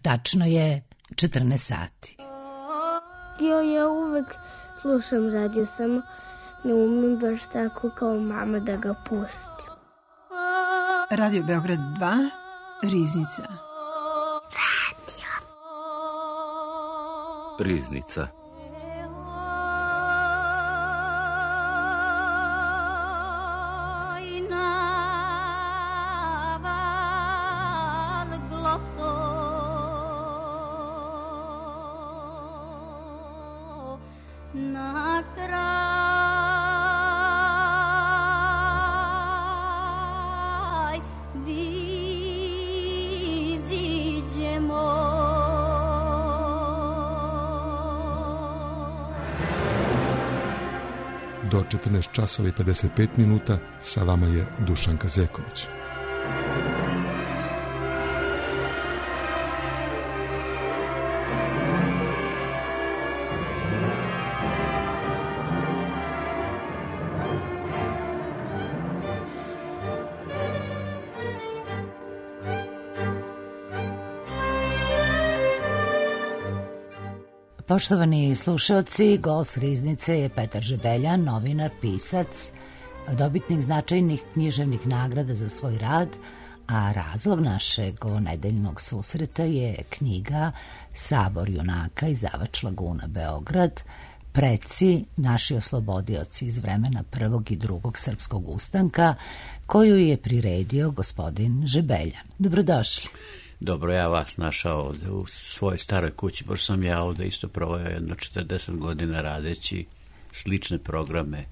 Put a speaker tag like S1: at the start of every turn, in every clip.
S1: Tačno je 14 sati.
S2: Ja uvek slušam radio, samo ne umem baš tako kao mama da ga pustim.
S3: Radio Beograd 2, Riznica.
S4: Riznica.
S5: Do 14 časova i 55 minuta sa vama je Dušan Kazeković.
S1: Poštovani slušaoci, gost Riznice je Petar Žebeljan, novinar, pisac, dobitnik značajnih književnih nagrada za svoj rad, a razlog našeg nedeljnog susreta je knjiga Sabor junaka, izdavač Laguna Beograd, preci naši oslobodioci iz vremena prvog i drugog srpskog ustanka, koju je priredio gospodin Žebeljan. Dobrodošli.
S4: Dobro, ja vas našao ovde u svojoj staroj kući, pošto sam ja ovde isto proveo jedno 40 godina radeći slične programe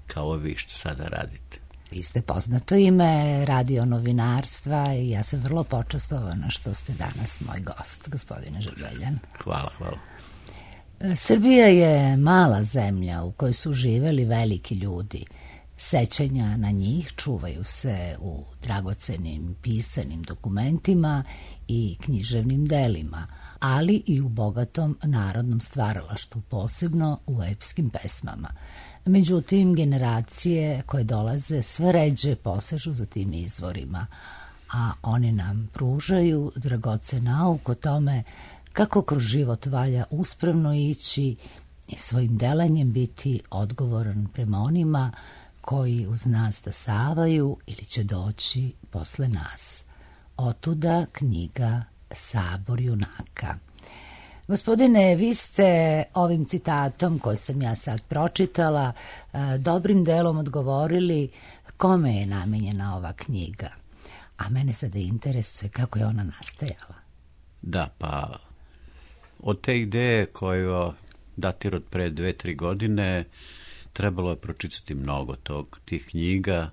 S4: kao vi što sada radite.
S1: Vi ste poznato ime radio novinarstva i ja sam vrlo počastovana što ste danas moj gost, gospodine Žebeljan.
S4: Hvala.
S1: Srbija je mala zemlja u kojoj su živeli veliki ljudi. Sećanja na njih čuvaju se u dragocenim pisanim dokumentima i književnim delima, ali i u bogatom narodnom stvaralaštvu, posebno u epskim pesmama. Međutim, generacije koje dolaze sve ređe posežu za tim izvorima, a oni nam pružaju dragocen nauk o tome kako kroz život valja uspravno ići i svojim delanjem biti odgovoran prema onima koji uz nas stasavaju ili će doći posle nas. Otuda knjiga Sabor junaka. Gospodine, vi ste ovim citatom koji sam ja sad pročitala dobrim delom odgovorili kome je namenjena ova knjiga. A mene sada interesuje kako je ona nastajala.
S4: Da, pa od te ideje koja datira od pre 2-3 godine trebalo je pročitati mnogo tih knjiga,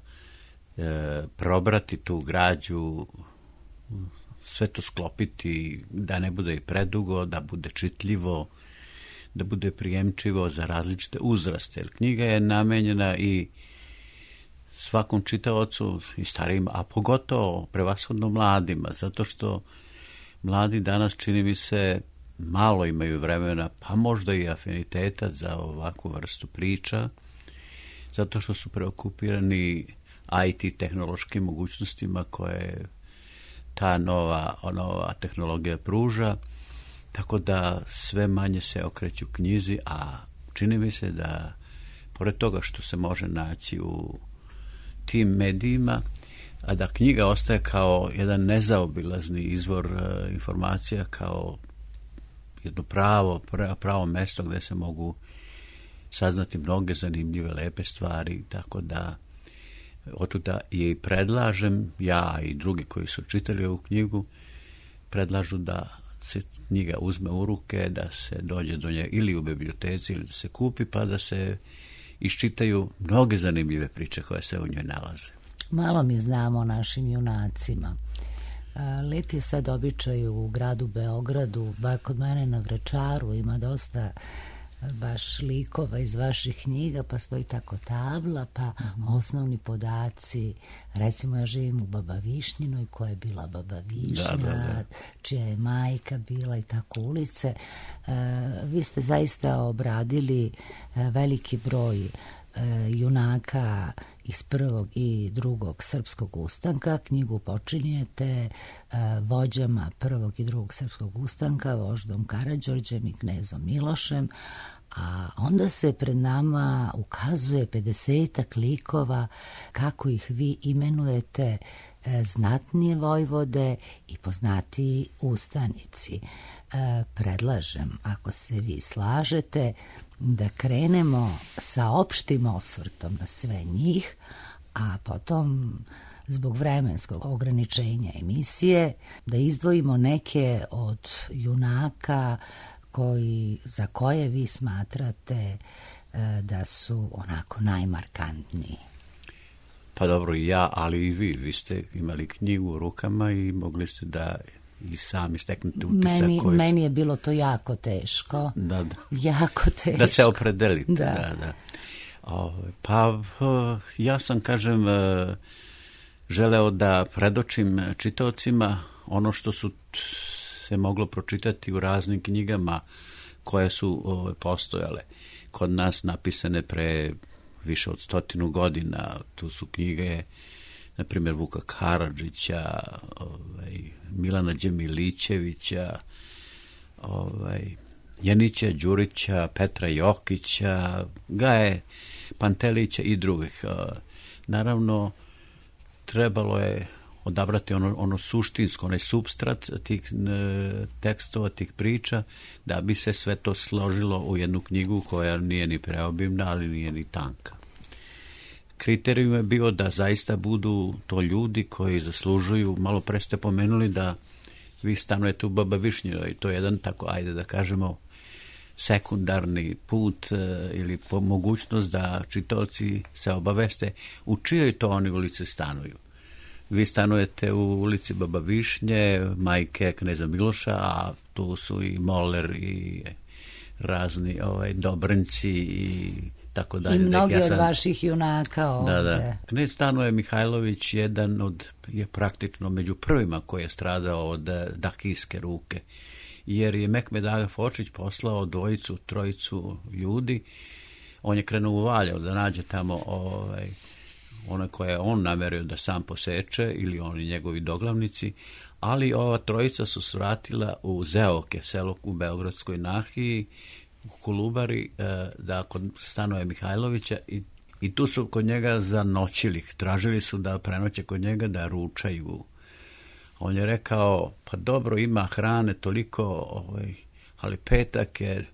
S4: probrati tu građu, sve to sklopiti da ne bude i predugo, da bude čitljivo, da bude prijemčivo za različite uzraste. Jer knjiga je namenjena i svakom čitaocu i starijim, a pogotovo prevashodno mladima, zato što mladi danas, čini mi se, malo imaju vremena, pa možda i afiniteta za ovakvu vrstu priča, zato što su preokupirani IT tehnološkim mogućnostima koje ta nova tehnologija pruža, tako da sve manje se okreću knjizi, a čini mi se da, pored toga što se može naći u tim medijima, a da knjiga ostaje kao jedan nezaobilazni izvor informacija, kao jedno pravo mesto gde se mogu saznati mnoge zanimljive, lepe stvari, tako da otuda i predlažem, ja i drugi koji su čitali ovu knjigu, predlažu da se knjiga uzme u ruke, da se dođe do nje ili u biblioteci ili da se kupi, pa da se iščitaju mnoge zanimljive priče koje se u njoj nalaze.
S1: Malo mi znamo o našim junacima. Lep je sad običaj u gradu Beogradu, bar kod mene na Vračaru ima dosta baš likova iz vaših knjiga, pa stoji tako tabla, pa osnovni podaci. Recimo, ja živim u Baba Višnjinoj, koja je bila Baba Višnja, čija je majka bila i tako ulice. Vi ste zaista obradili veliki broj junaka iz prvog i drugog srpskog ustanka. Knjigu počinjete vođama prvog i drugog srpskog ustanka, voždom Karađorđem i knezom Milošem, a onda se pred nama ukazuje 50-ak likova, kako ih vi imenujete, znatnije vojvode i poznatiji ustanici. Predlažem, ako se vi slažete, da krenemo sa opštim osvrtom na sve njih, a potom, zbog vremenskog ograničenja emisije, da izdvojimo neke od junaka za koje vi smatrate da su onako najmarkantniji.
S4: Pa dobro, i ja, ali i vi. Vi ste imali knjigu u rukama i mogli ste da i sami steknete utisak.
S1: Meni je bilo to jako teško.
S4: Da.
S1: Jako teško.
S4: Da se opredelite.
S1: Da.
S4: Pa ja sam, kažem, želeo da predočim čitaocima ono što su se moglo pročitati u raznim knjigama koje su postojale kod nas, napisane pre više od 100 godina. Tu su knjige, na primjer, Vuka Karadžića, Milana Đemilićevića, Janića Đurića, Petra Jokića, Gaje Pantelića i drugih. Naravno, trebalo je odabrati ono suštinsko, onaj supstrat tih tekstova, tih priča, da bi se sve to složilo u jednu knjigu koja nije ni preobimna, ali nije ni tanka. Kriterijum je bio da zaista budu to ljudi koji zaslužuju. Malo pre ste pomenuli da vi stanujete u Baba Višnjoj, i to je jedan tako, ajde da kažemo, sekundarni put ili mogućnost da čitaoci se obaveste u čijoj to oni ulici stanuju. Vi stanujete u ulici Baba Višnje, majke kneza Miloša, a tu su i Moler i razni Dobrenci i tako dalje.
S1: I mnogi od vaših junaka ovde.
S4: Da. Knez Stanoje Mihajlović je praktično među prvima koji je stradao od dakijske ruke, jer je Mehmed Aga Fočić poslao 2-3 ljudi. On je krenuo u Valjevo da nađe tamo one koje je on namerio da sam poseče, ili oni njegovi doglavnici, ali ova trojica su svratila u Zeoke, selo u Beogradskoj nahiji, u Kolubari, da kod Stanoje Mihajlovića, i tu su kod njega zanoćili. Tražili su da prenoće kod njega, da ručaju. On je rekao, pa dobro, ima hrane toliko, ali petak je,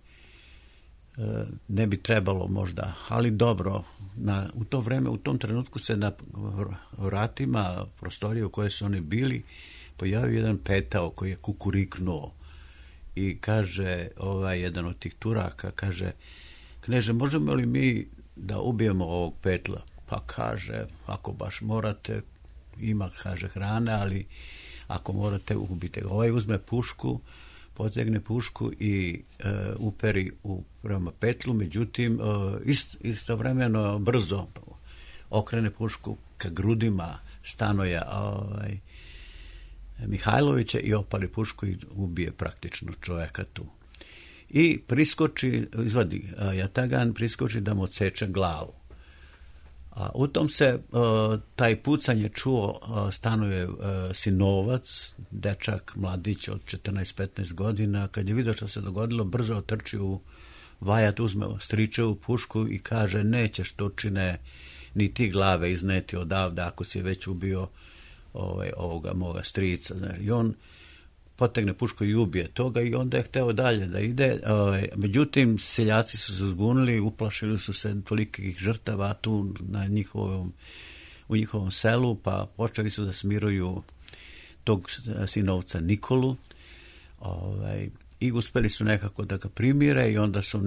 S4: ne bi trebalo možda, ali dobro. U to vreme, u tom trenutku se na vratima prostorije u kojoj su oni bili pojavio jedan petao koji je kukuriknuo i kaže, jedan od tih Turaka kaže, kneže, možemo li mi da ubijemo ovog petla? Pa kaže, ako baš morate, ima, kaže, hrane, ali ako morate, ubite ga. Uzme pušku, potegne pušku i uperi prema petlu, međutim istovremeno brzo okrene pušku ka grudima Stanoja Mihajlovića i opali pušku i ubije praktično čovjeka tu. I izvadi jatagan, priskoči da mu odseče glavu. U tom se taj pucanje čuo Stanoje sinovac, dečak, mladić od 14-15 godina. Kad je vidio što se dogodilo, brzo otrči u vajat, uzme stričevu pušku i kaže, nećeš Turčine ni ti glave izneti odavde ako si već ubio ovoga moga strica. I on potegne pušku i ubije toga, i onda je hteo dalje da ide. Međutim, seljaci su se zbunili, uplašili su se tolikih žrtava tu u njihovom selu, pa počeli su da smiruju tog sinovca Nikolu, i uspeli su nekako da ga primire, i onda su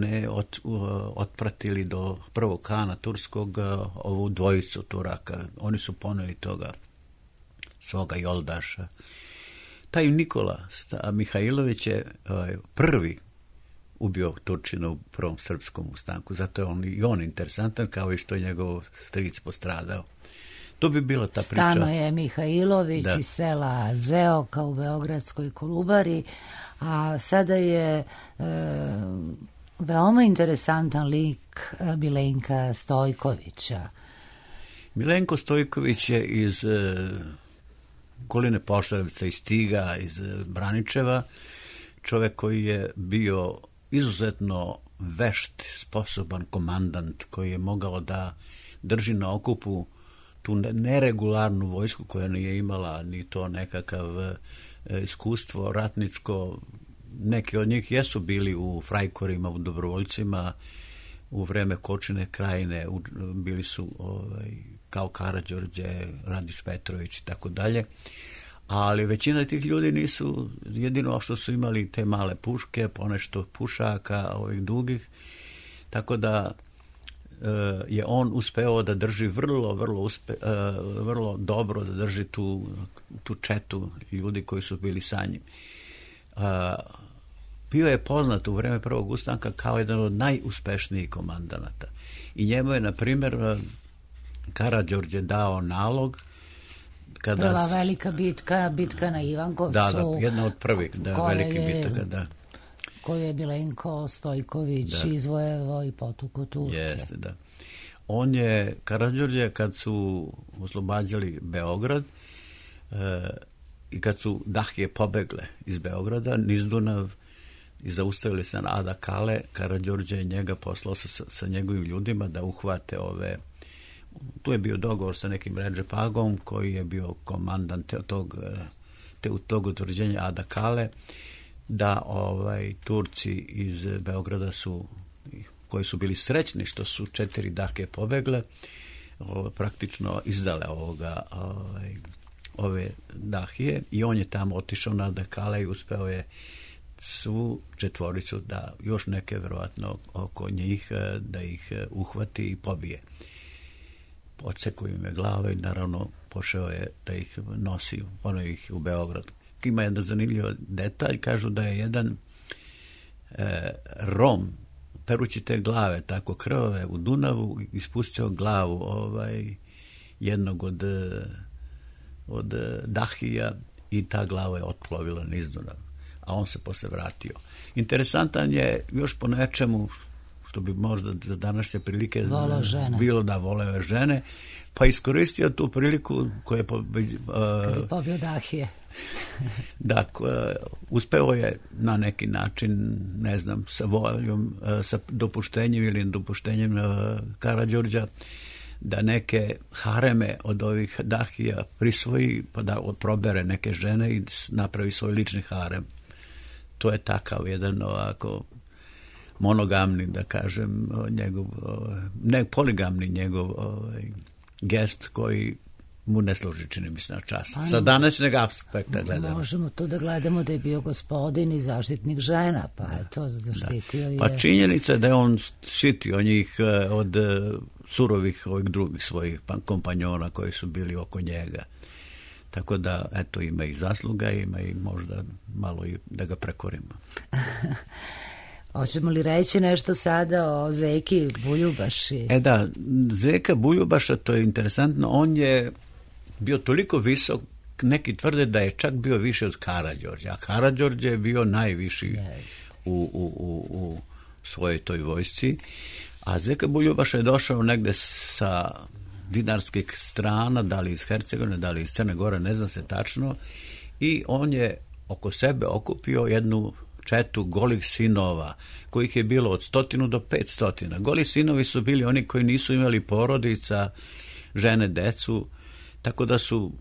S4: otpratili do prvog hana turskog ovu dvojicu Turaka. Oni su poneli toga svoga Joldaša. Taj Nikola Mihajlović je prvi ubio Turčina u prvom srpskom ustanku, zato je on interesantan, kao i što je njegov stric postradao. To bi bila ta priča.
S1: Stanoje Mihajlović iz sela Zeoka u Beogradskoj Kolubari, a sada je veoma interesantan lik Milenka Stojkovića.
S4: Milenko Stojković je iz okoline Požarevca, iz Stiga, iz Braničeva, čovjek koji je bio izuzetno vešt, sposoban komandant, koji je mogao da drži na okupu tu neregularnu vojsku koja nije imala ni to nekakav iskustvo ratničko. Neki od njih jesu bili u frajkorima, u dobrovoljcima, u vreme Kočine krajine, bili su kao Karađorđe, Radić Petrović i tako dalje, ali većina tih ljudi nisu, jedino što su imali te male puške, ponešto pušaka, ovih dugih, tako da je on uspeo da drži vrlo dobro da drži tu četu ljudi koji su bili sa njim. Bio je poznat u vreme Prvog ustanka kao jedan od najuspešnijih komandanata. I njemu je, na primjer, Karađorđe dao nalog
S1: prva velika bitka na Ivankovcu.
S4: Da, jedna od prvih velikih bitaka, da.
S1: Koju je Milenko Stojković izvojevao i potuko Turke.
S4: Jeste, da. Karađorđe, kad su oslobađali Beograd i kad su Dahije pobegle iz Beograda, niz Dunav, i zaustavili se na Ada Kale, Karađorđe je njega poslao sa njegovim ljudima da uhvate tu je bio dogovor sa nekim Redžepagom koji je bio komandant tog utvrđenja Ada Kale, da Turci iz Beograda koji su bili srećni što su 4 Dahije pobegle, praktično izdale ove Dahije, i on je tamo otišao na Ada Kale i uspeo je svu četvoricu, da još neke verovatno oko njih, da ih uhvati i pobije. Odsekao im je glave i naravno pošao je da ih nosi, ono ih u Beograd. Ima jedan zanimljiv detalj, kažu da je jedan Rom, perući te glave tako krvave u Dunavu, ispustio glavu jednog od Dahija i ta glava je otplovila niz Dunav, a on se posle vratio. Interesantan je još po nečemu što bi možda za današnje prilike bilo da voleo žene, pa iskoristio tu priliku koja je
S1: pobio Dahije.
S4: Da, uspeo je na neki način, ne znam, sa voljom, sa dopuštenjem ili nedopuštenjem Karađorđa, da neke hareme od ovih Dahija prisvoji, pa da probere neke žene i napravi svoj lični harem. To je takav jedan ovako monogamni, da kažem, ne poligamni njegov gest koji mu ne služi, čini mi se, na čast. Sa današnjeg aspekta gledamo.
S1: Možemo to da gledamo da je bio gospodin i zaštitnik žena, pa je to zaštitio je.
S4: Pa činjenica je da je on štitio njih od surovih ovih drugih svojih kompanjona koji su bili oko njega. Tako da, eto, ima i zasluga, ima i možda malo i da ga prekorimo.
S1: Hoćemo li reći nešto sada o Zeki Buljubaši?
S4: Da, Zeka Buljubaša, to je interesantno, on je bio toliko visok, neki tvrde da je čak bio više od Karađorđa, a Karađorđe je bio najviši u svojoj toj vojsci, a Zeka Buljubaša je došao negde sa dinarskih strana, da li iz Hercegovine, da li iz Crne Gore, ne znam se tačno, i on je oko sebe okupio jednu četu golih sinova, kojih je bilo od 100 do 500. Goli sinovi su bili oni koji nisu imali porodica, žene, decu, tako da su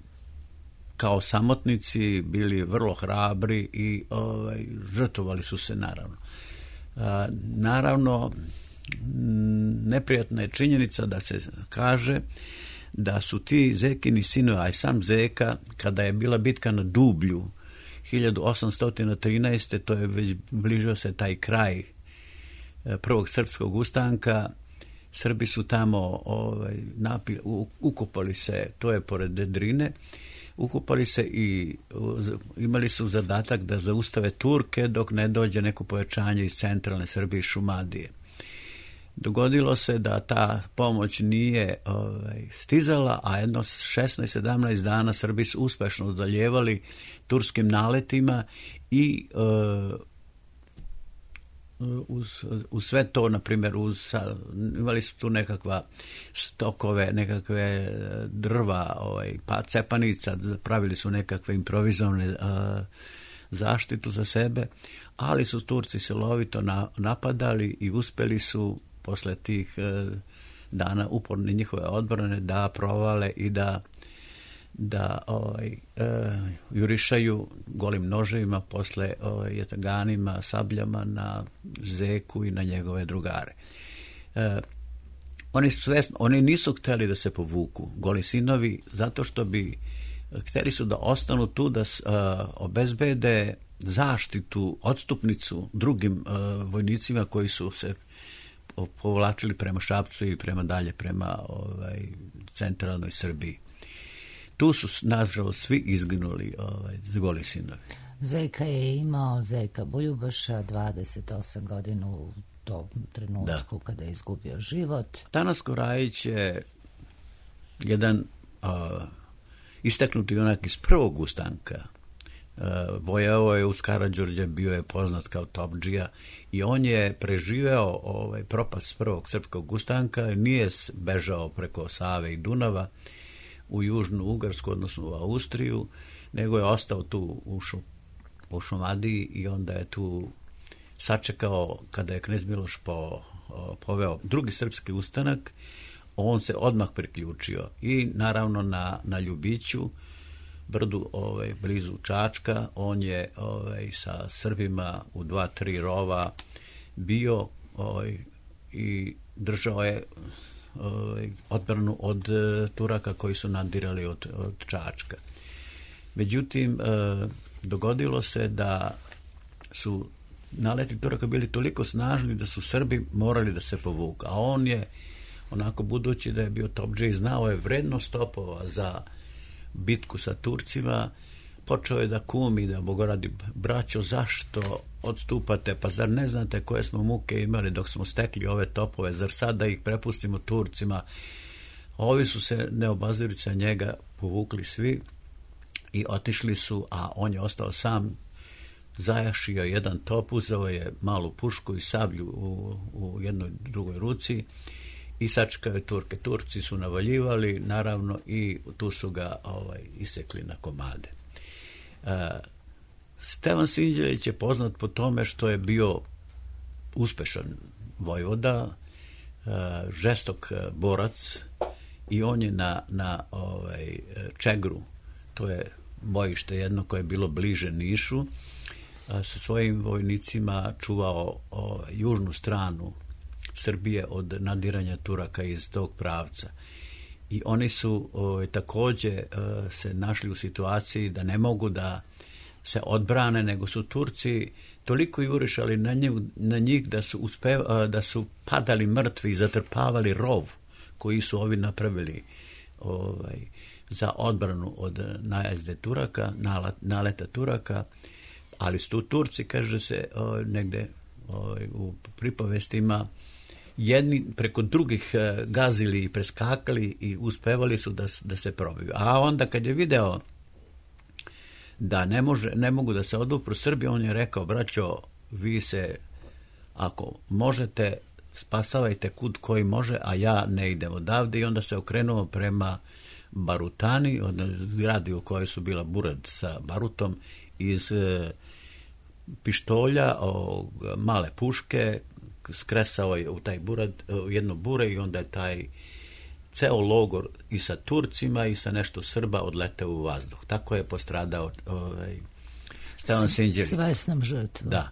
S4: kao samotnici bili vrlo hrabri i žrtvovali su se, naravno. Naravno, neprijatna je činjenica da se kaže da su ti Zekini sinovi, a i sam Zeka, kada je bila bitka na Dublju 1813. to je već bližio se taj kraj prvog srpskog ustanka, Srbi su tamo ukopali se, to je pored Drine, ukopali se i imali su zadatak da zaustave Turke dok ne dođe neko pojačanje iz centralne Srbije i Šumadije. Dogodilo se da ta pomoć nije stizala, a jedno 16-17 dana Srbi su uspešno odaljevali turskim naletima i uz sve to, na primjer, imali su tu nekakva stokove, nekakve drva, cepanica, pravili su nekakve improvizovane zaštitu za sebe, ali su Turci silovito napadali i uspeli su posle tih dana uporne njihove odbrane da provale i da jurišaju golim noževima posle jataganima, sabljama na Zeku i na njegove drugare. Oni nisu hteli da se povuku, goli sinovi, zato što bi hteli su da ostanu tu, da obezbede zaštitu, odstupnicu drugim vojnicima koji su se povlačili prema Šapcu i prema dalje, prema centralnoj Srbiji. Tu su, nažalost, svi izginuli goli sinovi.
S1: Zeka je imao, Zeka Buljubaša, 28 godina u tom trenutku kada je izgubio život.
S4: Tanasko Rajić je jedan istaknuti onak iz prvog ustanka. Vojao je uz Karađorđa, bio je poznat kao topdžija i on je preživeo propast prvog srpskog ustanka, nije bežao preko Save i Dunava u Južnu Ugarsku, odnosno u Austriju, nego je ostao tu u Šumadiji i onda je tu sačekao kada je knez Miloš poveo drugi srpski ustanak, on se odmah priključio i naravno na Ljubiću, brdu blizu Čačka, on je sa Srbima u 2-3 rova bio i držao je odbranu od Turaka koji su nadirali od Čačka. Međutim, dogodilo se da su naleti Turaka bili toliko snažni da su Srbi morali da se povuku. A on je, onako budući da je bio topdžija i znao je vrednost topova za bitku sa Turcima, počeo je da kumi, da bogoradi, braćo, zašto odstupate, pa zar ne znate koje smo muke imali dok smo stekli ove topove, zar sad da ih prepustimo Turcima? Ovi su se, ne obazirujući na njega, povukli svi i otišli su, a on je ostao sam, zajašio jedan top, uzeo je malu pušku i sablju u jednoj drugoj ruci i sačekao je Turke. Turci su navaljivali, naravno, i tu su ga isekli na komade. Stevan Sinđelić je poznat po tome što je bio uspešan vojvoda, žestok borac i on je na Čegru, to je bojište jedno koje je bilo bliže Nišu, sa svojim vojnicima čuvao južnu stranu Srbije od nadiranja Turaka iz tog pravca. I oni su takođe se našli u situaciji da ne mogu da se odbrane, nego su Turci toliko jurišali na njih da su padali mrtvi i zatrpavali rov koji su ovi napravili za odbranu od najezde Turaka, naleta Turaka, ali su tu Turci, kaže se negde u pripovestima, jedni preko drugih gazili i preskakali i uspevali su da se probiju. A onda kad je video da ne mogu da se odupru Srbi, on je rekao, braćo, vi se, ako možete, spasavajte kud koji može, a ja ne idem odavde. I onda se okrenuo prema Barutani, gradi u kojoj su bila Burad sa barutom, iz pištolja, male puške, skresao je u taj burad, u jedno bure i onda je taj ceo logor i sa Turcima i sa nešto Srba odleteo u vazduh. Tako je postradao Stevan Sinđelić.
S1: Svesnom žrtvom.
S4: Da.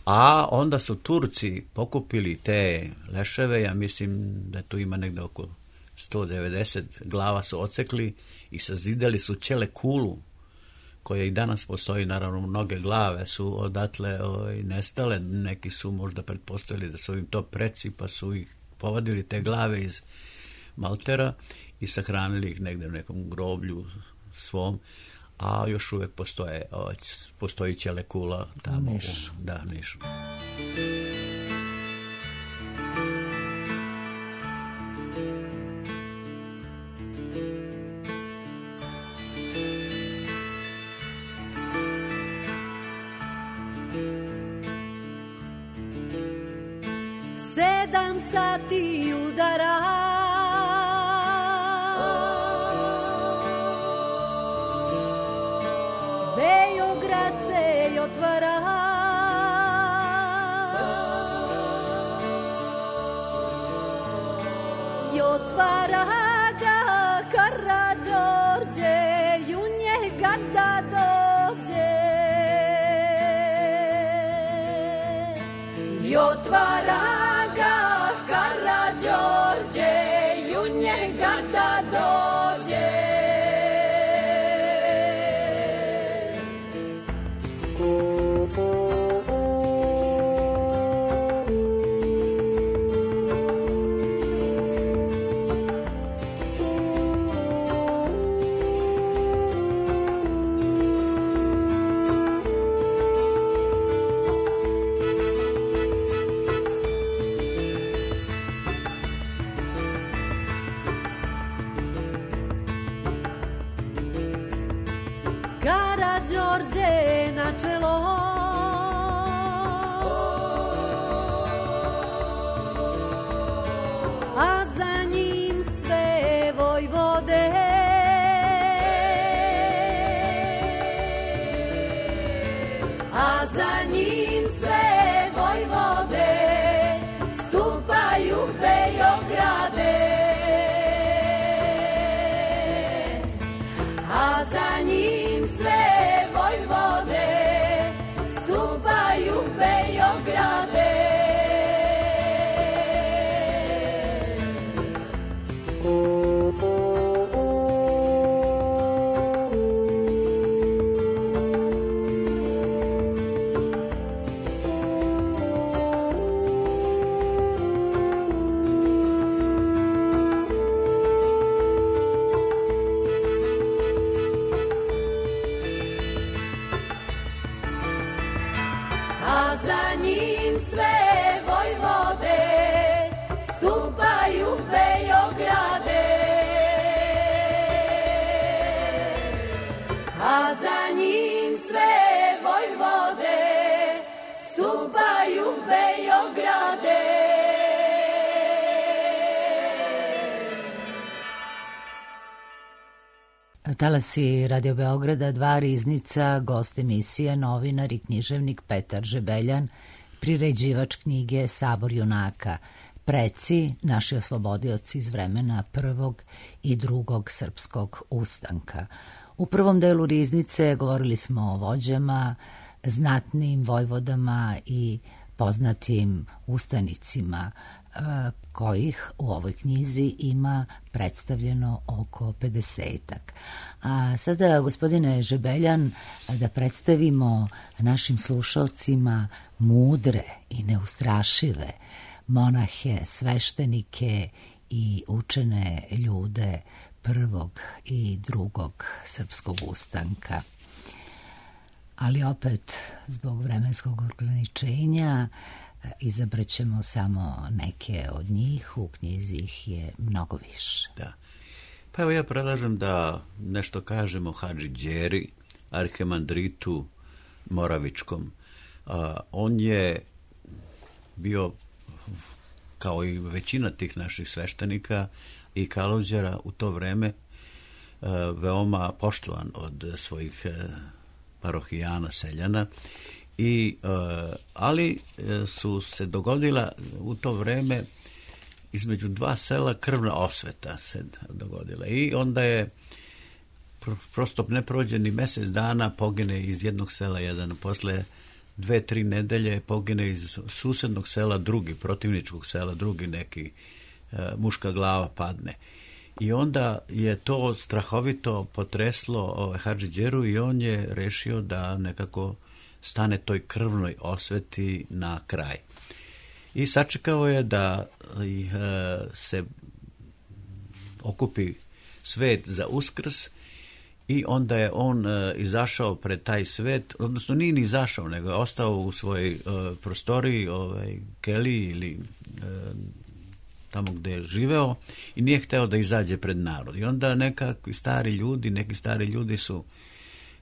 S4: A onda su Turci pokupili te leševe, ja mislim da tu ima negde oko 190 glava su ocekli i sazidali su Ćele kulu, koja i danas postoji, naravno mnoge glave su odatle nestale, neki su možda pretpostavili da su im to preci, pa su ih povadili te glave iz Maltera i sahranili ih negde u nekom groblju svom, a još uvek postoji Ćele kula tamo
S1: Nišu.
S4: Da, Nišu.
S6: sedam sati udara. Beograd se otvara. I otvara ga Karađorđe, i u njega da dođe. I otvara ga Karađorđe, i u njega da dođe. Karađorđe na čelo, a za njim sve vojvode. A za njim sve vojvode stupaju Beograde. A za njim sve vojvode stupaju Beograde. A za njim sve vojvode stupaju Beograde. A za njim sve vojvode stupaju Beograde.
S1: Talasi Radio Beograda, dva riznica, gost emisije, novinar i književnik Petar Žebeljan, priređivač knjige Sabor junaka, preci, naši oslobodioci iz vremena prvog i drugog srpskog ustanka. U prvom delu riznice govorili smo o vođama, znatnim vojvodama i poznatim ustanicima, kojih u ovoj knjizi ima predstavljeno oko 50-ak. A sada, gospodine Žebeljan, da predstavimo našim slušalcima mudre i neustrašive monahe, sveštenike i učene ljude prvog i drugog srpskog ustanka. Ali opet, zbog vremenskog ograničenja, izabraćemo samo neke od njih, u knjizi ih je mnogo više.
S4: Da. Pa evo ja predlažem da nešto kažemo o Hadži Đeri, arhimandritu Moravičkom. On je bio, kao i većina tih naših sveštenika i kalođera u to vreme, veoma poštovan od svojih parohijana, seljana, ali su se dogodila u to vreme između dva sela krvna osveta se dogodila i onda je prosto ne prođe ni mjesec dana, pogine iz jednog sela jedan, posle 2-3 nedelje pogine iz susednog sela drugi, protivničkog sela drugi, neki muška glava padne. I onda je to strahovito potreslo Hadži Đeru i on je rešio da nekako stane toj krvnoj osveti na kraj. I sačekao je da se okupi svet za Uskrs i onda je on izašao pred taj svet, odnosno nije ni izašao, nego je ostao u svojoj prostoriji, keliji ili tamo gde je živeo i nije hteo da izađe pred narod. I onda neki stari ljudi su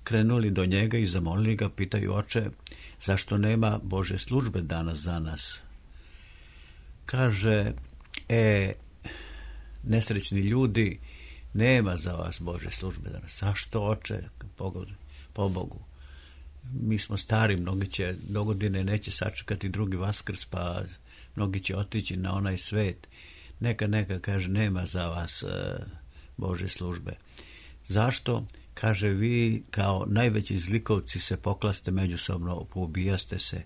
S4: krenuli do njega i zamolili ga, pitaju: oče, zašto nema Bože službe danas za nas? kaže, nesrećni ljudi, nema za vas Bože službe danas. Zašto, oče, po Bogu? Mi smo stari, mnogi će dogodine, neće sačekati drugi Vaskrs, pa mnogi će otići na onaj svet. Neka, kaže, nema za vas Bože službe. Zašto? Kaže, vi kao najveći zlikovci se poklaste međusobno, poubijaste se.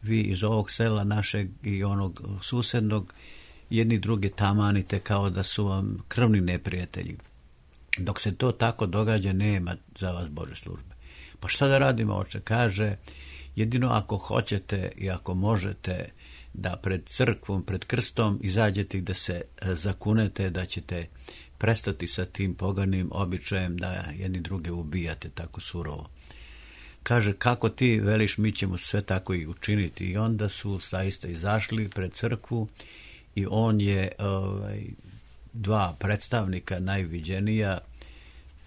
S4: Vi iz ovog sela našeg i onog susednog jedni druge tamanite kao da su vam krvni neprijatelji. Dok se to tako događa, nema za vas Bože službe. Pa šta da radimo, oče? Kaže, jedino ako hoćete i ako možete da pred crkvom, pred krstom izađete i da se zakunete da ćete prestati sa tim poganim običajem da jedni druge ubijate tako surovo. Kaže, kako ti veliš, mi ćemo sve tako i učiniti. I onda su zaista izašli pred crkvu i on je dva predstavnika najviđenija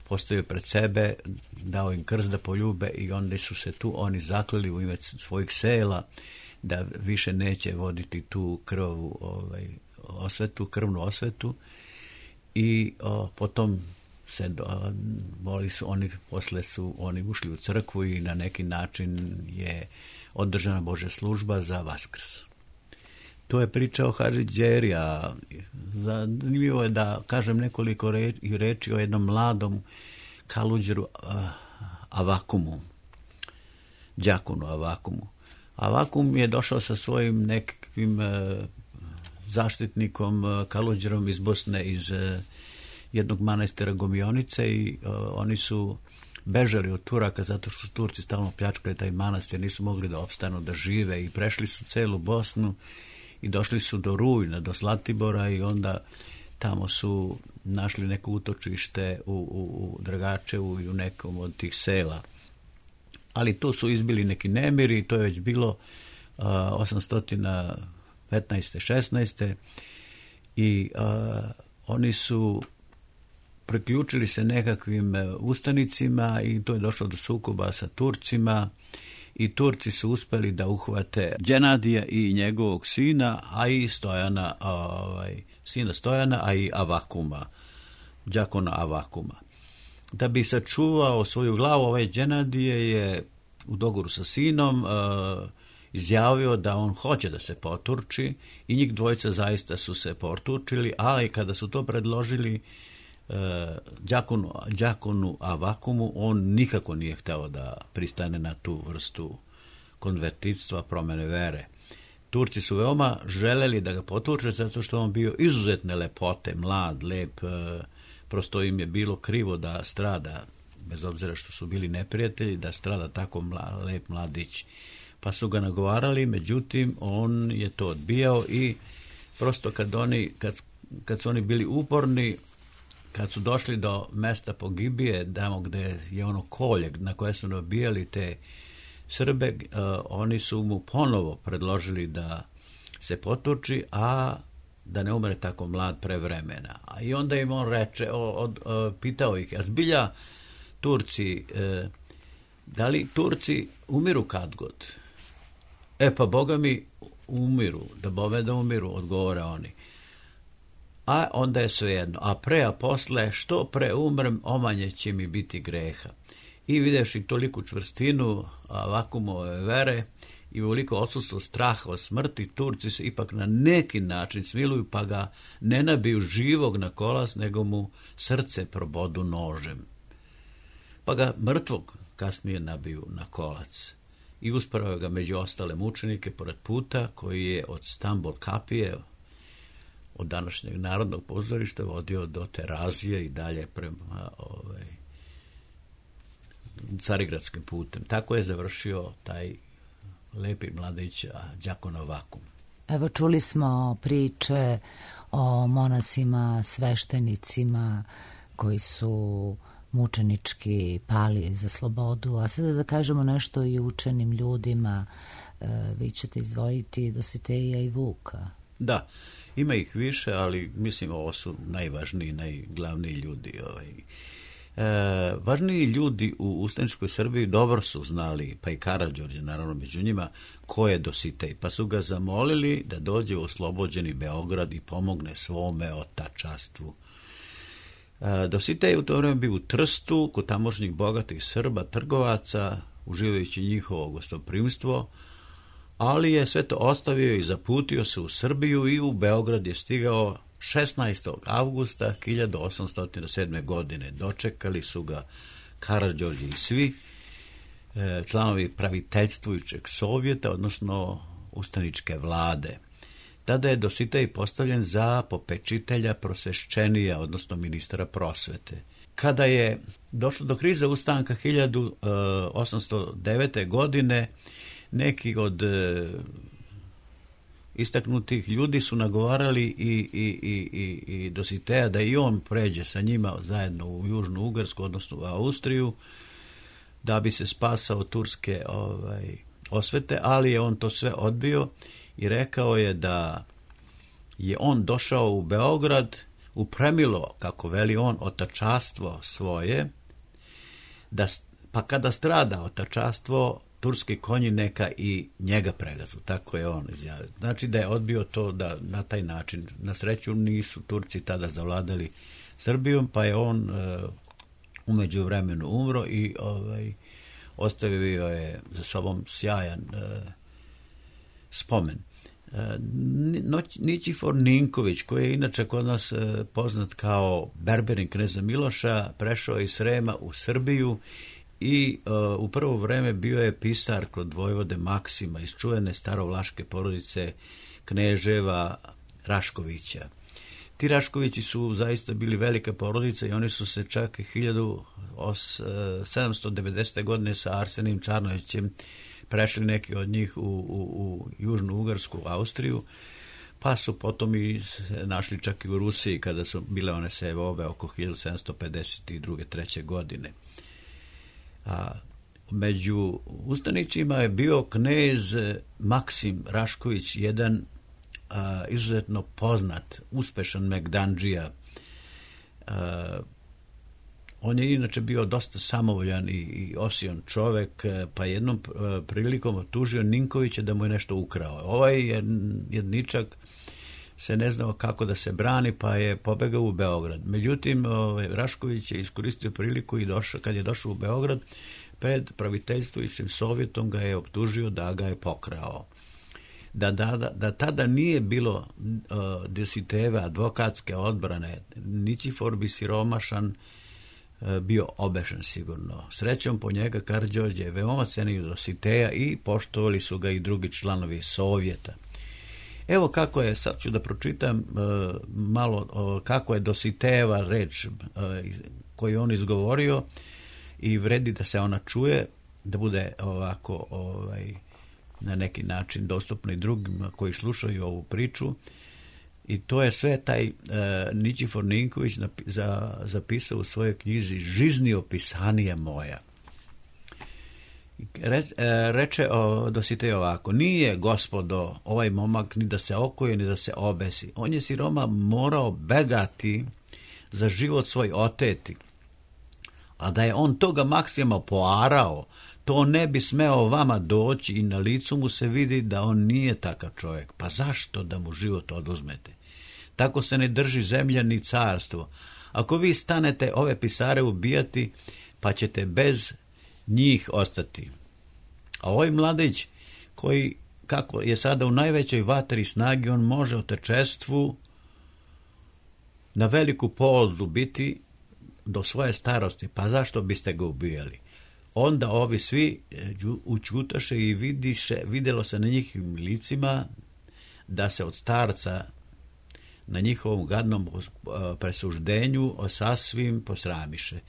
S4: postavio pred sebe, dao im krst da poljube i onda su se tu oni zakleli u ime svojih sela da više neće voditi tu krvnu osvetu i potom posle su oni ušli u crkvu i na neki način je održana Božja služba za Vaskrs. To je priča o Hadži, a zanimljivo je da kažem nekoliko reči o jednom mladom kaluđeru Avakumu, đakonu Avakumu. Avakum je došao sa svojim nekakvim zaštitnikom, kaluđerom iz Bosne, iz jednog manastira Gomionice i oni su bežali od Turaka zato što su Turci stalno pljačkali taj manastir, nisu mogli da opstanu, da žive i prešli su celu Bosnu i došli su do Rujna, do Zlatibora i onda tamo su našli neko utočište u Dragačevu i u nekom od tih sela. Ali tu su izbili neki nemiri, to je već bilo 815. 16. i oni su priključili se nekakvim ustanicima i to je došlo do sukoba sa Turcima i Turci su uspeli da uhvate Đenadija i njegovog sina, a i sina Stojana, a i Avakuma, đakona Avakuma. Da bi sačuvao svoju glavu, ovaj Đenadije je u dogovoru sa sinom izjavio da on hoće da se poturči i njih dvojica zaista su se poturčili, ali kada su to predložili đakonu Avakumu, on nikako nije hteo da pristane na tu vrstu konvertitstva, promene vere. Turci su veoma želeli da ga poturče zato što on bio izuzetne lepote, mlad, lep, prosto im je bilo krivo da strada, bez obzira što su bili neprijatelji, da strada tako lep mladić. Pa su ga nagovarali, međutim, on je to odbijao i prosto kad su oni bili uporni, kad su došli do mesta pogibije, tamo gde je ono kolje na koje su nabijali te Srbe, oni su mu ponovo predložili da se potuči, a da ne umre tako mlad pre vremena. I onda im on reče, pitao ih, a zbilja Turci, da li Turci umiru kad god? Pa Boga mi umiru, da umiru, odgovore oni. A onda je svejedno, a posle, što pre umrem, omanje će mi biti greha. I videvši toliku čvrstinu Avakumove vere i veliko odsustvo straha od smrti, Turci se ipak na neki način smiluju, pa ga ne nabiju živog na kolac, nego mu srce probodu nožem. Pa ga mrtvog kasnije nabiju na kolac. I uspravaju ga među ostale mučenike pored puta koji je od Stambol kapije, od današnjeg Narodnog pozorišta, vodio do Terazije i dalje prema Carigradskim putem. Tako je završio taj lepi mladić đakon Avakum.
S1: Evo, čuli smo priče o monasima, sveštenicima koji su mučenički pali za slobodu, a sada da kažemo nešto i učenim ljudima. Vi ćete izdvojiti Dositeja i Vuka.
S4: Da, ima ih više, ali mislim ovo su najvažniji, najglavniji ljudi. Važniji ljudi u ustaničkoj Srbiji dobro su znali, pa i Karađorđe naravno među njima, ko je Dositej, pa su ga zamolili da dođe u oslobođeni Beograd i pomogne svome otačastvu. Dositej u to vreme bio u Trstu, kod tamošnjih bogatih Srba, trgovaca, uživajući njihovo gostoprimstvo, ali je sve to ostavio i zaputio se u Srbiju i u Beograd je stigao 16. avgusta 1807. godine. Dočekali su ga Karađorđe i svi članovi praviteljstvujućeg Sovjeta, odnosno ustaničke vlade. Tada je Dositej postavljen za popečitelja prosvešćenija, odnosno ministra prosvete. Kada je došlo do krize ustanka 1809. godine, neki od istaknutih ljudi su nagovarali i Dositeja da i on pređe sa njima zajedno u Južnu Ugarsku, odnosno u Austriju, da bi se spasao turske osvete, ali je on to sve odbio i rekao je da je on došao u Beograd upremilo, kako veli on, otačastvo svoje, pa kada strada otačastvo, turski konji neka i njega pregazu. Tako je on izjavio. Znači da je odbio to da na taj način. Na sreću nisu Turci tada zavladali Srbijom, pa je on u međuvremenu umro i ostavio je za sobom sjajan spomen. Ničifor Ninković, koji je inače kod nas poznat kao berberin kneza Miloša, prešao iz Srema u Srbiju i u prvo vreme bio je pisar kod vojvode Maksima iz čuvene starovlaške porodice Kneževa Raškovića. Ti Raškovići su zaista bili velika porodica i oni su se čak 1790. godine sa Arsenijom Čarnojevićem prešli neki od njih u Južnu Ugarsku, Austriju, pa su potom i našli čak i u Rusiji kada su bile one sevobe oko 1752. 3. godine. Među ustanicima je bio knez Maksim Rašković, jedan izuzetno poznat, uspešan megdandžija. On je inače bio dosta samovoljan i osion čovek, pa jednom prilikom optužio Ninkovića da mu je nešto ukrao. Ovaj jedničak se ne znao kako da se brani, pa je pobegao u Beograd. Međutim, Rašković je iskoristio priliku i kad je došao u Beograd, pred praviteljstvujućim Sovjetom ga je optužio da ga je pokrao. Da tada nije bilo Dositejeve advokatske odbrane, Ničifor bi siromašan bio obešen sigurno. Srećom po njega Karađorđe je veoma cenio Dositeja i poštovali su ga i drugi članovi Sovjeta. Evo kako je, sad ću da pročitam malo kako je Dositejeva reč koju on izgovorio i vredi da se ona čuje, da bude ovako na neki način dostupno i drugima koji slušaju ovu priču. I to je sve taj Ničifor Ninković zapisao u svojoj knjizi Žiznio pisanije moja. Reče Dositej ovako: nije, gospodo, ovaj momak ni da se okoje, ni da se obesi. On je siroma morao begati za život svoj oteti. A da je on toga Maksima poarao, to ne bi smeo vama doći i na licu mu se vidi da on nije takav čovjek. Pa zašto da mu život oduzmete? Tako se ne drži zemlja ni carstvo. Ako vi stanete ove pisare ubijati, pa ćete bez njih ostati. A ovaj mladić, koji kako je sada u najvećoj vatri snagi, on može otečestvu na veliku polzu biti do svoje starosti, pa zašto biste ga ubijali? Onda ovi svi učutaše i vidjelo se na njihovim licima da se od starca na njihovom gadnom presuždenju sasvim posramiše.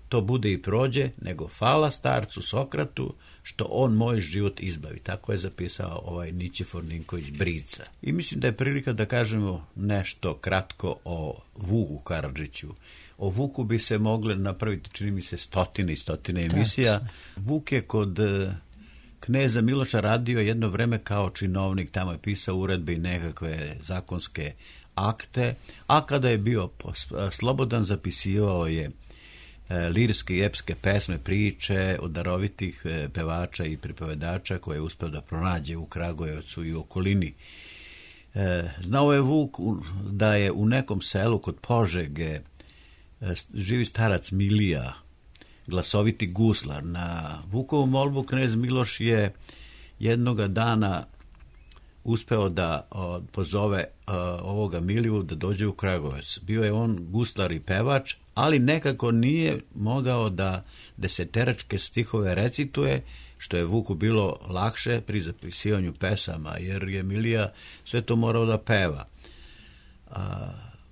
S4: To bude i prođe, nego hvala starcu Sokratu što on moj život izbavi. Tako je zapisao ovaj Ničifor Ninković Brica. I mislim da je prilika da kažemo nešto kratko o Vuku Karadžiću. O Vuku bi se mogle napraviti, čini mi se, stotine i stotine emisija. Vuk je kod kneza Miloša radio jedno vreme kao činovnik, tamo je pisao uredbe i nekakve zakonske akte, a kada je bio slobodan zapisivao je lirske i epske pesme, priče od darovitih pevača i pripovedača koje je uspeo da pronađe u Kragujevcu i u okolini. Znao je Vuk da je u nekom selu kod Požege živi starac Milija, glasoviti guslar. Na Vukovu molbu knez Miloš je jednoga dana uspeo da pozove ovoga Miliju da dođe u Kragujevac. Bio je on guslar i pevač, ali nekako nije mogao da deseteračke stihove recituje, što je Vuku bilo lakše pri zapisivanju pesama, jer je Milija sve to morao da peva.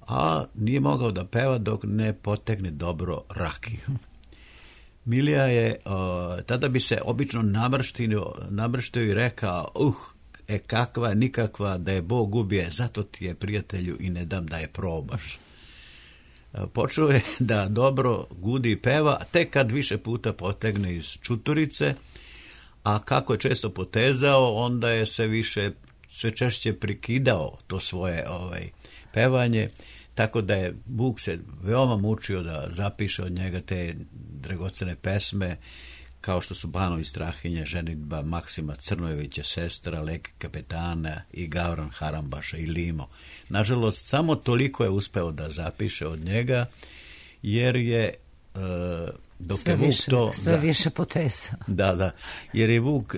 S4: A nije mogao da peva dok ne potegne dobro rakiju. Milija je, tada bi se obično namrštio i rekao, kakva, nikakva, da je Bog ubije, zato ti je, prijatelju, i ne dam da je probaš. Počeo je da dobro gudi i peva, tek kad više puta potegne iz čuturice, a kako je često potezao, onda je sve češće prikidao to svoje pevanje, tako da je Vuk se veoma mučio da zapiše od njega te dragocene pesme, kao što su Banovi Strahinje, ženidba Maksima Crnojevića, sestra, Leke kapetana i Gavran Harambaša i Limo. Nažalost, samo toliko je uspeo da zapiše od njega, jer je dok je Vuk to
S1: sve više potesao.
S4: Da, jer je Vuk,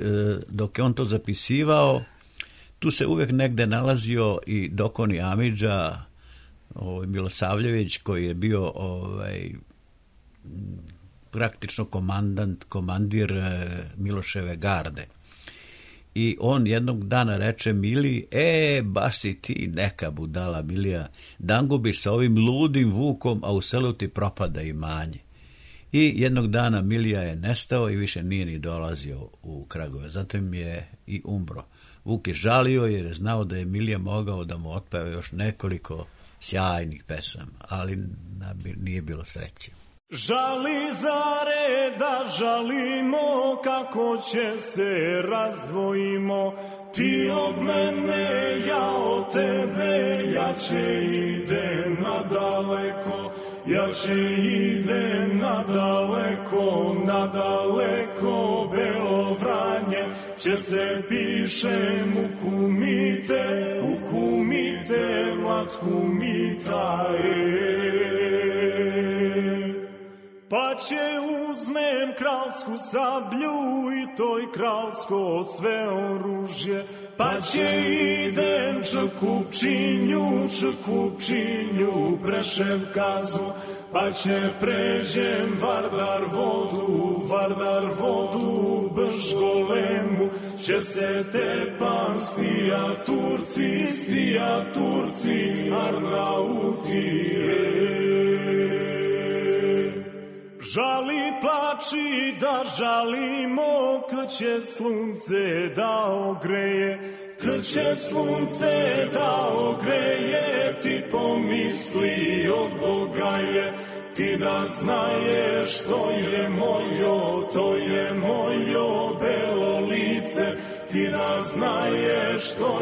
S4: dok je on to zapisivao, tu se uvijek negde nalazio i Dokoni Amidža, Milosavljević, koji je bio praktično komandir Miloševe garde. I on jednog dana reče Mili, baš si ti neka budala, Milija, dangubiš sa ovim ludim Vukom, a u selu ti propada imanje. I jednog dana Milija je nestao i više nije ni dolazio u Kragujevac, zatim je i umro. Vuk je žalio jer je znao da je Milija mogao da mu otpeva još nekoliko sjajnih pesama, ali nije bilo sreće.
S7: Žali zare da žalimo, kako će se razdvojimo, ti od mene, ja od tebe, jače idem nadaleko, jače idem nadaleko, nadaleko, Belo Vranje, će se pišem u kumite, matku mita, pa će uzmem kralsku sablju i toj kralsko sve oružje, pa će idem Čekupčinju, Preševkazu, pa će pređem Vardar vodu, Bržgolemu, će se tepan stija Turci, Arnautije. Žali plači da žalimo, kad će slunce da ogreje, kad će slunce da ogreje, ti pomisli od Boga je, ti da znaješ to je mojo belo lice, ti da znaješ to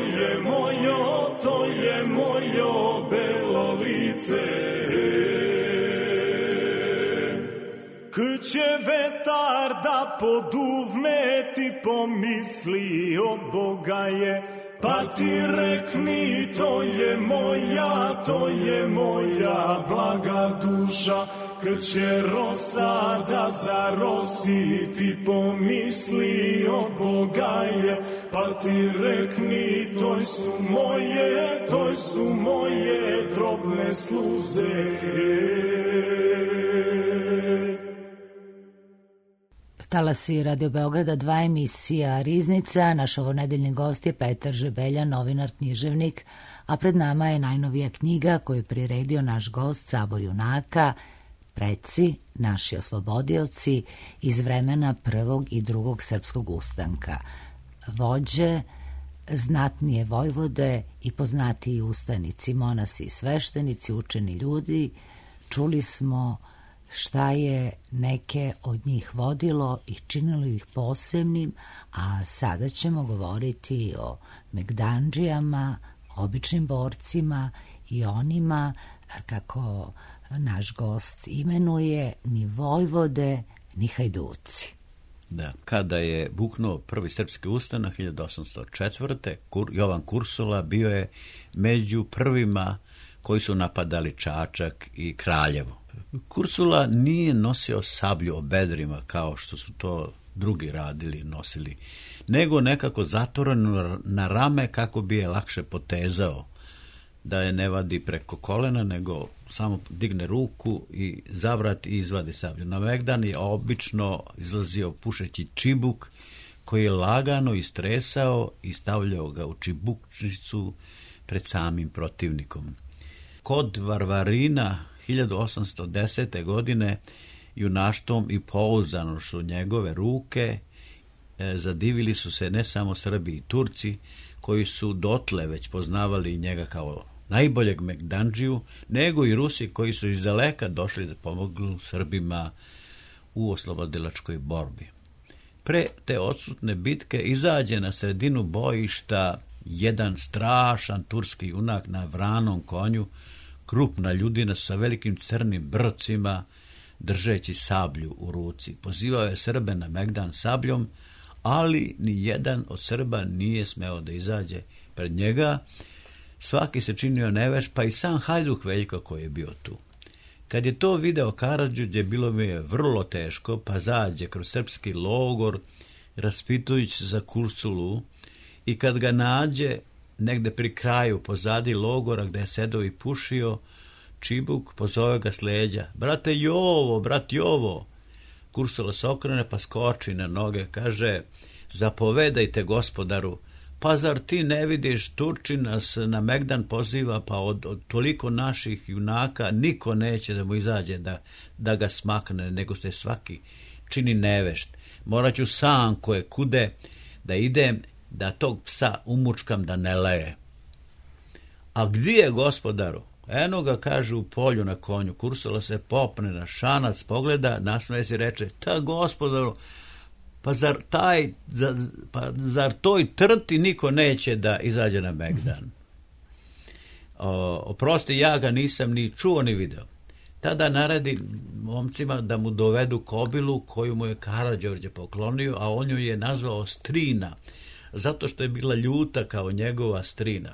S7: je mojo belo lice. Kad će vetar da poduvne, ti pomisli od Boga je, pa ti rekni to je moja blaga duša. Kad će rosa da zarosi, ti pomisli od Boga je, pa ti rekni to su moje drobne sluze.
S1: Talasi Radio Beograda 2, emisija Riznica. Naš ovonedeljni gost je Petar Žebelja, novinar, književnik, a pred nama je najnovija knjiga koju je priredio naš gost Sabor junaka, Preci, naši oslobodioci iz vremena prvog i drugog srpskog ustanka. Vođe, znatnije vojvode i poznatiji ustanici, monasi i sveštenici, učeni ljudi, čuli smo šta je neke od njih vodilo i činilo ih posebnim, a sada ćemo govoriti o megdandžijama, običnim borcima i onima, kako naš gost imenuje, ni vojvode, ni hajduci.
S4: Da, kada je buknuo prvi srpski ustanak 1804. Jovan Kursula bio je među prvima koji su napadali Čačak i Kraljevo. Kursula nije nosio sablju o bedrima kao što su to drugi radili, nosili, nego nekako zatvoreno na rame kako bi je lakše potezao, da je ne vadi preko kolena, nego samo digne ruku i zavrat i izvadi sablju. Na Megdan je obično izlazio pušeći čibuk koji je lagano istresao i stavljao ga u čibukčicu pred samim protivnikom. Kod Varvarina 1810. godine junaštvom i pouzdanošću njegove ruke zadivili su se ne samo Srbi i Turci, koji su dotle već poznavali njega kao najboljeg Megdandžiju, nego i Rusi koji su iz daleka došli da pomognu Srbima u oslobodilačkoj borbi. Pre te odsutne bitke izađe na sredinu bojišta jedan strašan turski junak na vranom konju, krupna ljudina sa velikim crnim brcima, držeći sablju u ruci. Pozivao je Srbe na Megdan sabljom, ali ni jedan od Srba nije smeo da izađe pred njega. Svaki se činio neveš, pa i sam Hajduk Veljko koji je bio tu. Kad je to video Karađorđe, bilo mi je vrlo teško, pa zađe kroz srpski logor, raspitujući se za Kursulu, i kad ga nađe negde pri kraju, pozadi logora gde je sedao i pušio čibuk, pozove ga s leđa: brate Jovo, brat Jovo. Kursula se okrene pa skoči na noge, kaže: zapovedajte gospodaru. Pa zar ti ne vidiš, Turčin nas na Megdan poziva, pa od toliko naših junaka niko neće da mu izađe da ga smakne, nego se svaki čini nevešt. Morat ću sam koje kude da idem, da tog psa umučkam da ne leje. A gdje je gospodaru? Eno ga, kaže, u polju na konju. Kursula se popne na šanac, pogleda, nasmeje se i reče: ta gospodaru, pa zar toj trti niko neće da izađe na Megdan? Oprosti, ja ga nisam ni čuo ni video. Tada naredi momcima da mu dovedu kobilu koju mu je Karađorđe poklonio, a on ju je nazvao Strina, zato što je bila ljuta kao njegova strina.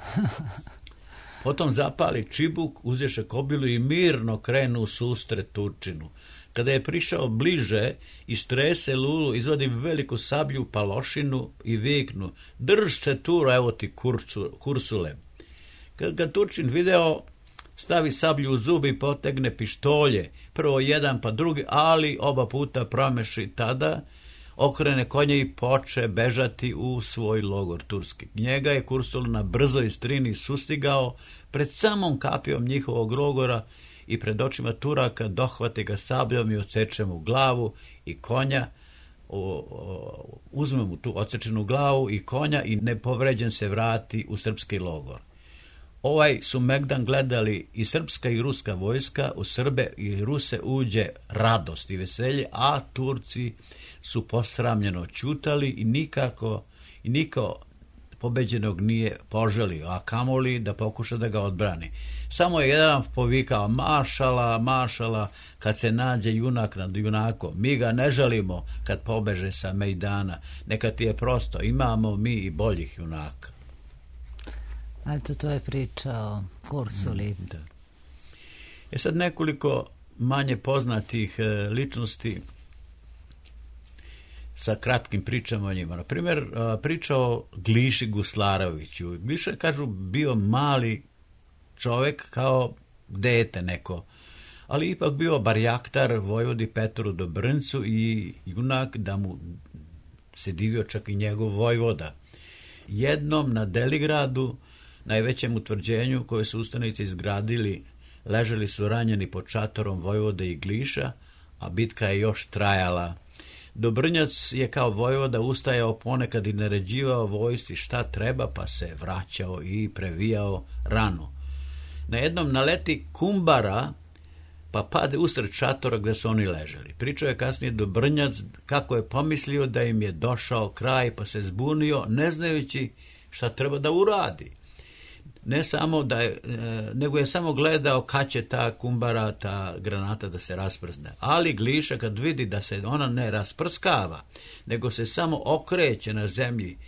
S4: Potom zapali čibuk, uzješe kobilu i mirno krenu u susret Turčinu. Kada je prišao bliže, istrese lulu, izvadi veliku sablju palošinu i viknu: drž se tu, evo ti Kursule. Kad ga Turčin video, stavi sablju u zubi i potegne pištolje, prvo jedan pa drugi, ali oba puta promeši tada, okrene konje i poče bežati u svoj logor turski. Njega je Kursula na brzoj strini sustigao pred samom kapijom njihovog logora i pred očima Turaka dohvate ga sabljom i odseče mu glavu i konja, uzme mu tu odsečenu glavu i konja i nepovređen se vrati u srpski logor. Ovaj su Megdan gledali i srpska i ruska vojska, u Srbe i Ruse uđe radost i veselje, a Turci su posramljeno ćutali i niko pobeđenog nije poželio, a kamoli da pokuša da ga odbrani. Samo je jedan povikao: mašala, mašala, kad se nađe junak nad junakom. Mi ga ne žalimo kad pobeže sa Mejdana. Neka ti je prosto, imamo mi i boljih junaka.
S1: Eto, to je priča o Kursuli.
S4: Da. Sad nekoliko manje poznatih ličnosti sa kratkim pričama o njima. Na primjer, priča o Gliši Guslaroviću. Gliša, kažu, bio mali čovek kao dete neko, ali ipak bio barjaktar vojvodi Petru Dobrncu i junak da mu se divio čak i njegov vojvoda. Jednom na Deligradu, najvećem utvrđenju koje su ustanici izgradili, ležali su ranjeni pod šatorom vojvode i Gliša, a bitka je još trajala. Dobrnjac je kao vojvoda ustajao ponekad i naređivao vojsci šta treba, pa se vraćao i previjao ranu. Na jednom naleti kumbara, pa pade usred šatora gde su oni ležali. Pričao je kasnije Dobrnjac kako je pomislio da im je došao kraj, pa se zbunio, ne znajući šta treba da uradi. ne samo da je, nego je samo gledao kad će ta kumbara, ta granata da se rasprzne. Ali Gliša kad vidi da se ona ne rasprskava, nego se samo okreće na zemlji,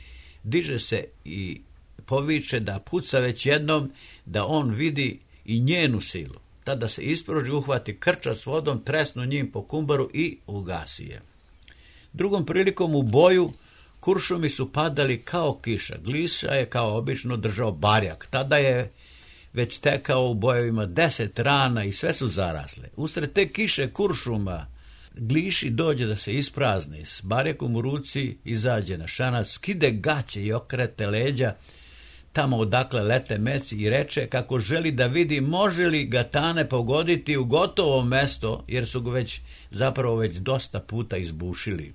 S4: diže se i poviče da puca već jednom, da on vidi i njenu silu. Tada se ispruži, uhvati krča s vodom, tresnu njim po kumbaru i ugasi je. Drugom prilikom u boju kuršumi su padali kao kiša. Gliša je kao obično držao barjak. Tada je već tekao u bojevima 10 rana i sve su zarasle. Usred te kiše kuršuma Gliši dođe da se isprazni. S barjakom u ruci izađe na šanac, skide gaće i okrete leđa tamo odakle lete meci i reče kako želi da vidi može li ga Tane pogoditi u gotovo mesto, jer su ga već dosta puta izbušili.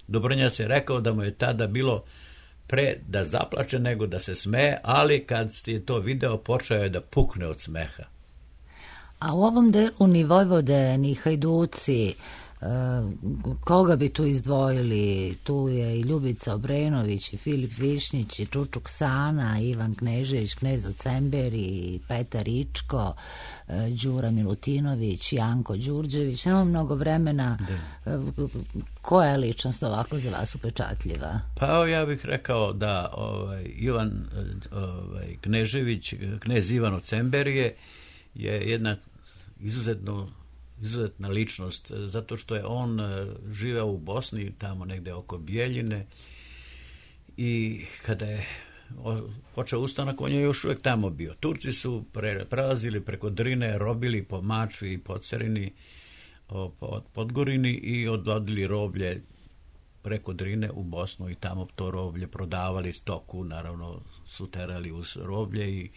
S4: Dobrnjac je rekao da mu je tada bilo pre da zaplače nego da se smeje, ali kad je to video počeo je da pukne od smeha.
S1: A u ovom delu ni Vojvode, ni Hajduci, koga bi tu izdvojili? Tu je i Ljubica Obrenović, i Filip Višnjić, i Čučuk Sana, Ivan Knežević, Knez od Cemberi, Petar Ičko, Đura Milutinović, Janko Đurđević. Nemamo mnogo vremena. Koja je ličnost ovako za vas upečatljiva?
S4: Pa ja bih rekao da Ivan Knežević, knez Ivan od Cemberije, je jedna izuzetna ličnost, zato što je on živeo u Bosni, tamo negde oko Bijeljine, i kada je počeo ustanak, on je još uvijek tamo bio. Turci su prelazili preko Drine, robili po Mačvi i po Cerini, Podgorini i odvodili roblje preko Drine u Bosnu i tamo to roblje prodavali, stoku naravno su terali uz roblje i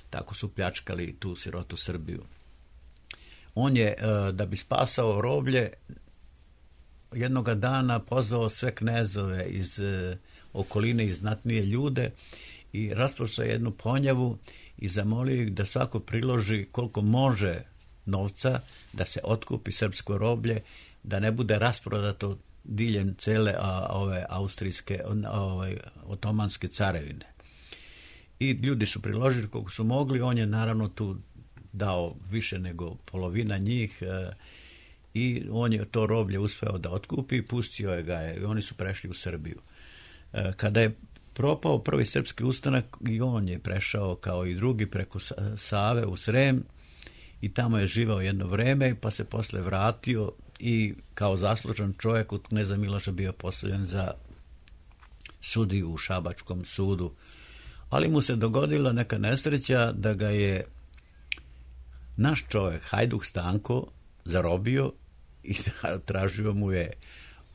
S4: tako su pljačkali tu sirotu Srbiju. On je, da bi spasao roblje, jednoga dana pozvao sve knezove iz okoline i znatnije ljude i rasprostao jednu ponjavu i zamolio ih da svako priloži koliko može novca da se otkupi srpsko roblje, da ne bude rasprodato diljem cele ove austrijske, otomanske carevine. I ljudi su priložili koliko su mogli, on je naravno tu dao više nego polovina njih i on je to roblje uspeo da otkupi, pustio je ga i oni su prešli u Srbiju. Kada je propao prvi srpski ustanak i on je prešao kao i drugi preko Save u Srem i tamo je živao jedno vreme, pa se posle vratio i kao zaslužan čovjek od kneza Miloša bio postavljen za sudiju u Šabačkom sudu. Ali mu se dogodila neka nesreća da ga je naš čovjek, Hajduk Stanko, zarobio i tražio mu je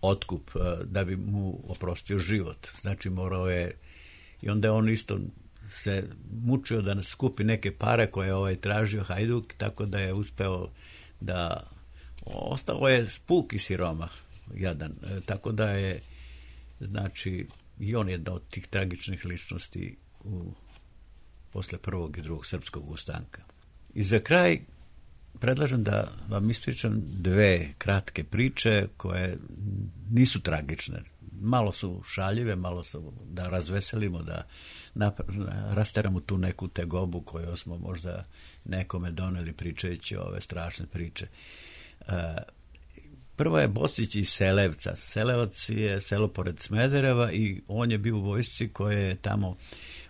S4: otkup da bi mu oprostio život. Znači morao je, i onda je on isto se mučio da nas skupi neke pare koje je tražio Hajduk, tako da je uspeo da ostao je spuk i siromah jadan. Tako da je, znači, i on je jedna od tih tragičnih ličnosti posle prvog i drugog srpskog ustanka. I za kraj predlažem da vam ispričam dve kratke priče koje nisu tragične. Malo su šaljive, malo su da razveselimo, da rasteramo tu neku tegobu koju smo možda nekome doneli pričajući ove strašne priče. Prva je Bocić iz Selevca. Selevac je selo pored Smedereva i on je bio u vojsci koja je tamo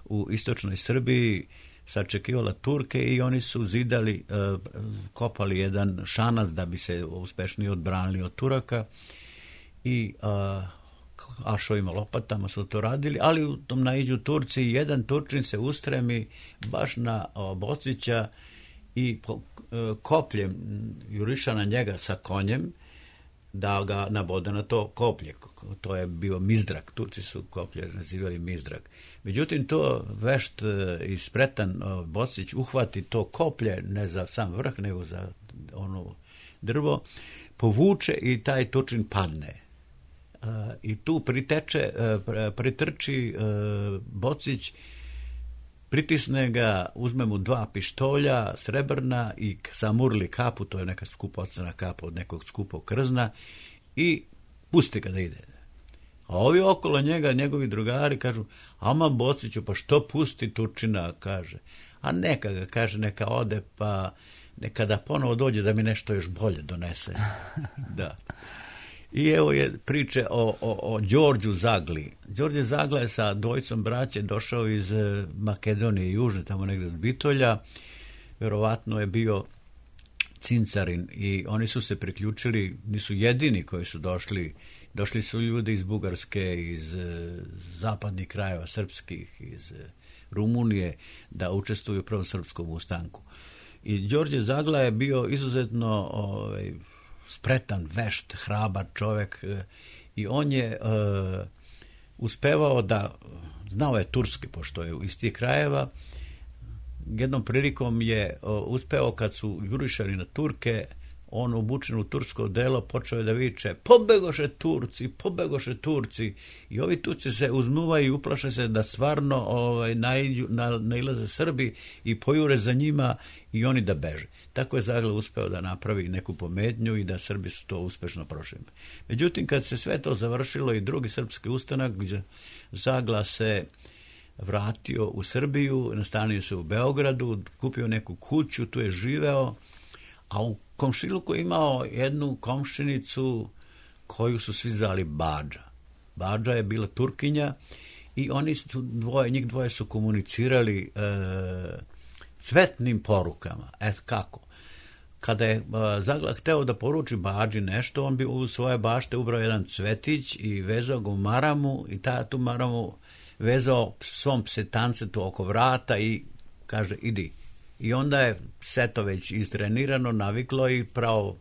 S4: u istočnoj Srbiji sačekivala Turke i oni su zidali, kopali jedan šanac da bi se uspešnije odbranili od Turaka i ašovima lopatama su to radili, ali u tom naiđu Turci i jedan Turčin se ustremi baš na Bocića i kopljem juriša na njega sa konjem da ga nabode na to koplje. To je bio mizdrak. Turci su koplje nazivali mizdrak. Međutim, to vešt i spretan Bocić uhvati to koplje, ne za sam vrh, nego za ono drvo, povuče i taj Turčin padne. I tu pritrči Bocić, pritisne ga, uzme mu 2 pištolja srebrna i samurli kapu, to je neka skupocena kapa od nekog skupog krzna, i pusti ga da ide. A ovi okolo njega, njegovi drugari, kažu, ama Bociću, pa što pusti Turčina, kaže. A neka ga, kaže, neka ode, pa neka da ponovo dođe da mi nešto još bolje donese. Da. I evo je priče o Đorđu Zagli. Đorđe Zagla je sa dvojicom braće došao iz Makedonije južne, tamo negde od Bitolja. Verovatno je bio cincarin i oni su se priključili, nisu jedini koji su došli. Došli su ljudi iz Bugarske, iz zapadnih krajeva srpskih, iz Rumunije, da učestvuju u prvom srpskom ustanku. I Đorđe Zagla je bio izuzetno spretan, vešt, hrabar čovek i on je uspevao da, znao je turski, pošto je iz tih krajeva, jednom prilikom je uspeo kad su jurišali na Turke, on obučen u tursko delo počeo je da viče pobegoše Turci i ovi Turci se uzmuvaju i uplaše se da stvarno nailaze Srbi i pojure za njima i oni da beže. Tako je Zagla uspeo da napravi neku pometnju i da Srbi su to uspešno prošli. Međutim, kad se sve to završilo i drugi srpski ustanak, gdje Zagla se vratio u Srbiju, nastanio se u Beogradu, kupio neku kuću, tu je živeo, a u komšiluku je imao jednu komšinicu koju su svi zvali Bađa. Bađa je bila Turkinja i oni su njih dvoje su komunicirali cvetnim porukama. Kako? Kada je Zagla hteo da poruči Bađi nešto, on bi u svoje bašte ubrao jedan cvetić i vezao ga u maramu i tu maramu vezao svom psetancetu oko vrata i kaže idi. I onda je sve to već istrenirano, naviklo i pravo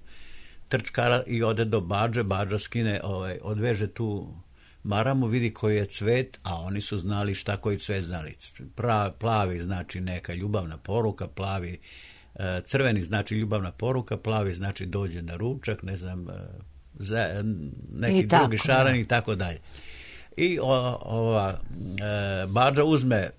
S4: trčkara i ode do Bađe, Bađa skine, odveže tu maramu, vidi koji je cvet, a oni su znali šta koji cvet znali. Plavi znači neka ljubavna poruka, crveni znači ljubavna poruka, plavi znači dođe na ručak, ne znam, neki drugi šaran i tako dalje. I Bađa uzme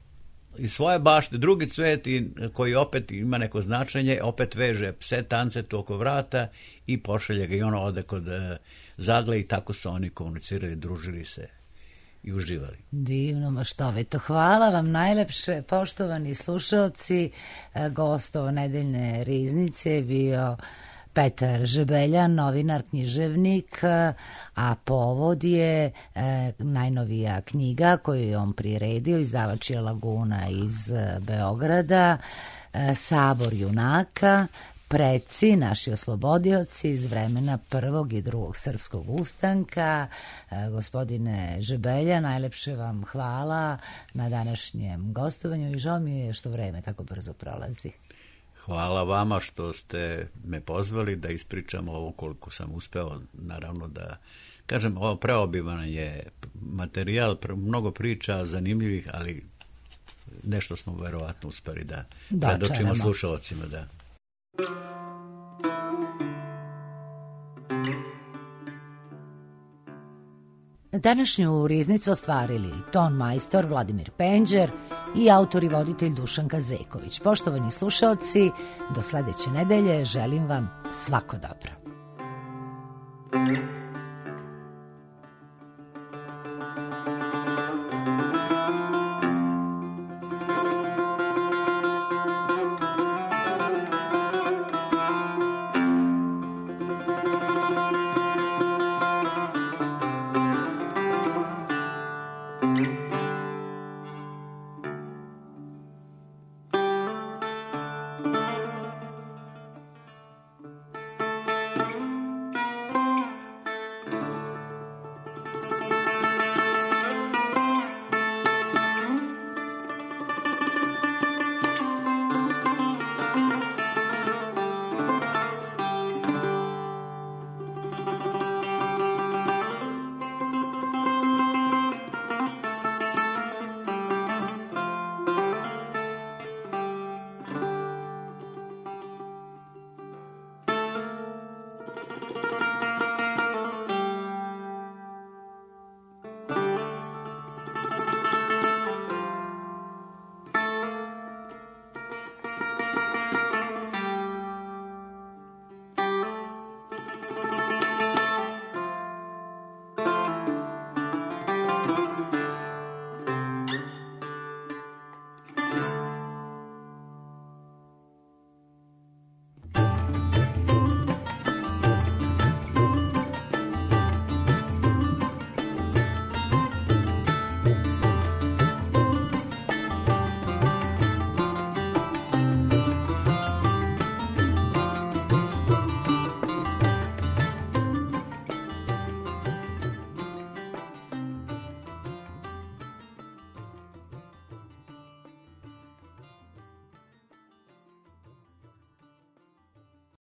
S4: iz svoje bašte drugi cvet koji opet ima neko značenje, opet veže pse tancetu oko vrata i pošalje ga i ono ode kod Zagle i tako su oni komunicirali, družili se i uživali.
S1: Divno, maštovito. Hvala vam najlepše, poštovani slušalci. Gost ovo nedeljne riznice je bio Petar Žebeljan, novinar, književnik, a povod je najnovija knjiga koju je on priredio, izdavač je Laguna iz Beograda, Sabor junaka, preci, naši oslobodioci iz vremena prvog i drugog srpskog ustanka. Gospodine Žebelja, najlepše vam hvala na današnjem gostovanju i žao mi je što vreme tako brzo prolazi.
S4: Hvala vama što ste me pozvali da ispričam ovo koliko sam uspeo, naravno da kažem, ovo preobiman je materijal, mnogo priča zanimljivih, ali nešto smo verovatno uspeli da predočimo slušalcima. Da.
S1: Današnju riznicu ostvarili ton majstor Vladimir Penđer i autor i voditelj Dušanka Zeković. Poštovani slušaoci, do sledeće nedelje želim vam svako dobro.